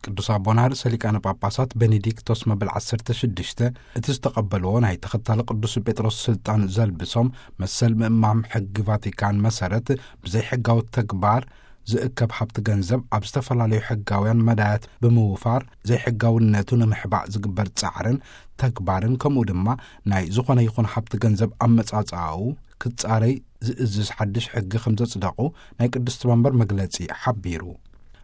ቅዱስ ኣቦና ርእሰ ሊቃነ ጳጳሳት ቤኔዲክቶስ መበል ዓሰርተ ሽዱሽተ እቲ ዝተቐበልዎ ናይ ተኸታሊ ቅዱስ ጴጥሮስ ስልጣን ዘልብሶም፣ መሰል ምእማም ሕጊ ቫቲካን መሰረት ብዘይሕጋዊ ተግባር ዝእከብ ሃብቲ ገንዘብ ኣብ ዝተፈላለዩ ሕጋውያን መዳያት ብምውፋር ዘይሕጋውነቱ ንምሕባእ ዝግበር ጻዕርን ተግባርን፣ ከምኡ ድማ ናይ ዝኾነ ይኹን ሃብቲ ገንዘብ ኣመጻጽኣኡ ክጻረይ ዝእዝዝ ሓድሽ ሕጊ ከም ዘጽደቑ ናይ ቅድስቲ መንበር መግለጺ ሓቢሩ።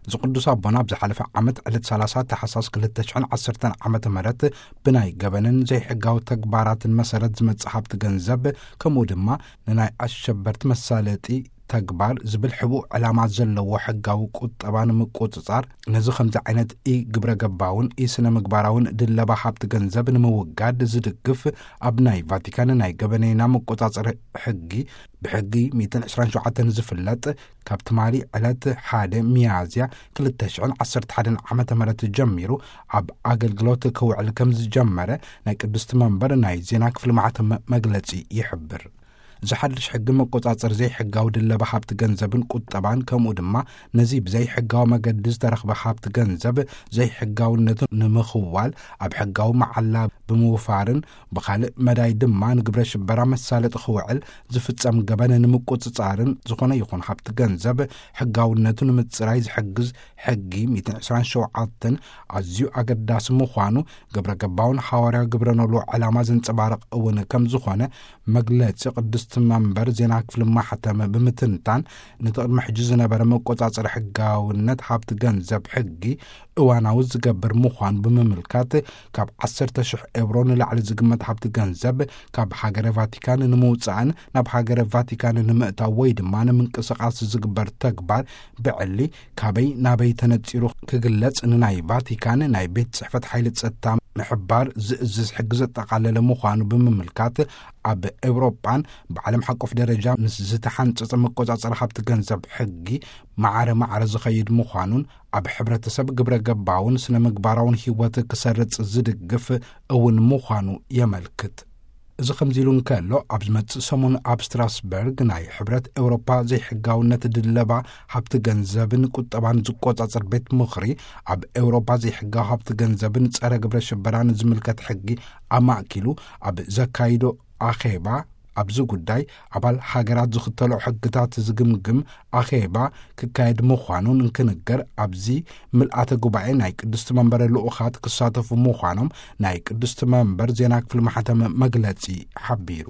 እዚ ቅዱስ ኣቦና ኣብ ዝሓለፈ ዓመት ዕለት ሰላሳ ታሕሳስ ክልተ ሽሕን ዓሰርተን ዓመተ ምህረት ብናይ ገበንን ዘይሕጋዊ ተግባራትን መሰረት ዝመጽእ ሃብቲ ገንዘብ፣ ከምኡ ድማ ንናይ ኣሸበርቲ መሳለጢ ተግባር ዝብል ሕቡእ ዕላማ ዘለዎ ሕጋዊ ቁጠባ ንምቁጽጻር፣ ነዚ ከምዚ ዓይነት ኢ ግብረ ገባውን ኢ ስነ ምግባራውን ድለባ ሃብቲ ገንዘብ ንምውጋድ ዝድግፍ፣ ኣብ ናይ ቫቲካን ናይ ገበነይና መቆጻጸሪ ሕጊ፣ ብሕጊ ሚእትን ዕስራን ሸውዓተን ዝፍለጥ፣ ካብ ትማሊ ዕለት ሓደ ሚያዝያ ክልተ ሽሕን ዓሰርተ ሓደን ዓመተ ምህረት ጀሚሩ ኣብ ኣገልግሎት ክውዕል ከም ዝጀመረ ናይ ቅድስቲ መንበር ናይ ዜና ክፍሊ ማሕተም መግለጺ ይሕብር። እዚ ሓድሽ ሕጊ መቆጻጸሪ ዘይሕጋዊ ድለባ ሃብቲ ገንዘብን ቁጠባን፣ ከምኡ ድማ ነዚ ብዘይሕጋዊ መገዲ ዝተረኽበ ሃብቲ ገንዘብ ዘይሕጋውነቱ ንምኽዋል ኣብ ሕጋዊ መዓላ ብምውፋርን ብኻልእ መዳይ ድማ ንግብረ ሽበራ መሳለጢ ክውዕል ዝፍጸም ገበን ንምቁጽጻርን ዝኾነ ይኹን ሃብቲ ገንዘብ ሕጋውነቱ ንምጽራይ ዝሕግዝ ሕጊ ሚእትን ዕስራን ሸውዓተን ኣዝዩ ኣገዳሲ ምዃኑ፣ ግብረ ገባውን ሃዋርያዊ ግብረ ኖሎ ዕላማ ዘንጸባርቕ እውን ከም ዝኾነ መግለጺ ቅድስቲ መንበር ዜና ክፍሊ ማሕተም ብምትንታን፣ ነቲ ቅድሚ ሕጂ ዝነበረ መቆጻጸሪ ሕጋውነት ሃብቲ ገንዘብ ሕጊ እዋናዊ ዝገብር ምዃኑ ብምምልካት፣ ካብ ዓሰርተ ሽሕ ኤውሮ ንላዕሊ ዝግመት ሃብቲ ገንዘብ ካብ ሃገረ ቫቲካን ንምውጻእን ናብ ሃገረ ቫቲካን ንምእታው ወይ ድማ ንምንቅስቓስ ዝግበር ተግባር ብዕሊ ካበይ ናበይ ተነጺሩ ክግለጽ ንናይ ቫቲካን ናይ ቤት ጽሕፈት ሓይሊ ጸጥታ ምሕባር ዝእዝዝ ሕጊ ዘጠቓለለ ምዃኑ ብምምልካት፣ ኣብ ኤውሮጳን ብዓለም ሓቆፍ ደረጃ ምስ ዝተሓንጸጸ መቆጻጸሪ ሃብቲ ገንዘብ ሕጊ ማዕረ ማዕረ ዝኸይድ ምዃኑን፣ ኣብ ሕብረተሰብ ግብረ ገባውን ስነ ምግባራውን ህይወት ክሰርጽ ዝድግፍ እውን ምዃኑ የመልክት። እዚ ከምዚ ኢሉ እንከሎ፣ ኣብ ዝመጽእ ሰሙን ኣብ ስትራስበርግ ናይ ሕብረት ኤውሮፓ ዘይሕጋውነት ድለባ ሃብቲ ገንዘብን ቁጠባን ዝቆጻጸር ቤት ምኽሪ፣ ኣብ ኤውሮፓ ዘይሕጋዊ ሃብቲ ገንዘብን ጸረ ግብረ ሽበራን ዝምልከት ሕጊ ኣማእኪሉ ኣብ ዘካይዶ ኣኼባ፣ ኣብዚ ጉዳይ ኣባል ሃገራት ዝኽተሎ ሕግታት ዝግምግም ኣኼባ ክካየድ ምዃኑን እንክንገር፣ ኣብዚ ምልኣተ ጉባኤ ናይ ቅድስቲ መንበር ልኡኻት ክሳተፉ ምዃኖም ናይ ቅድስቲ መንበር ዜና ክፍሊ ማሕተም መግለጺ ሓቢሩ።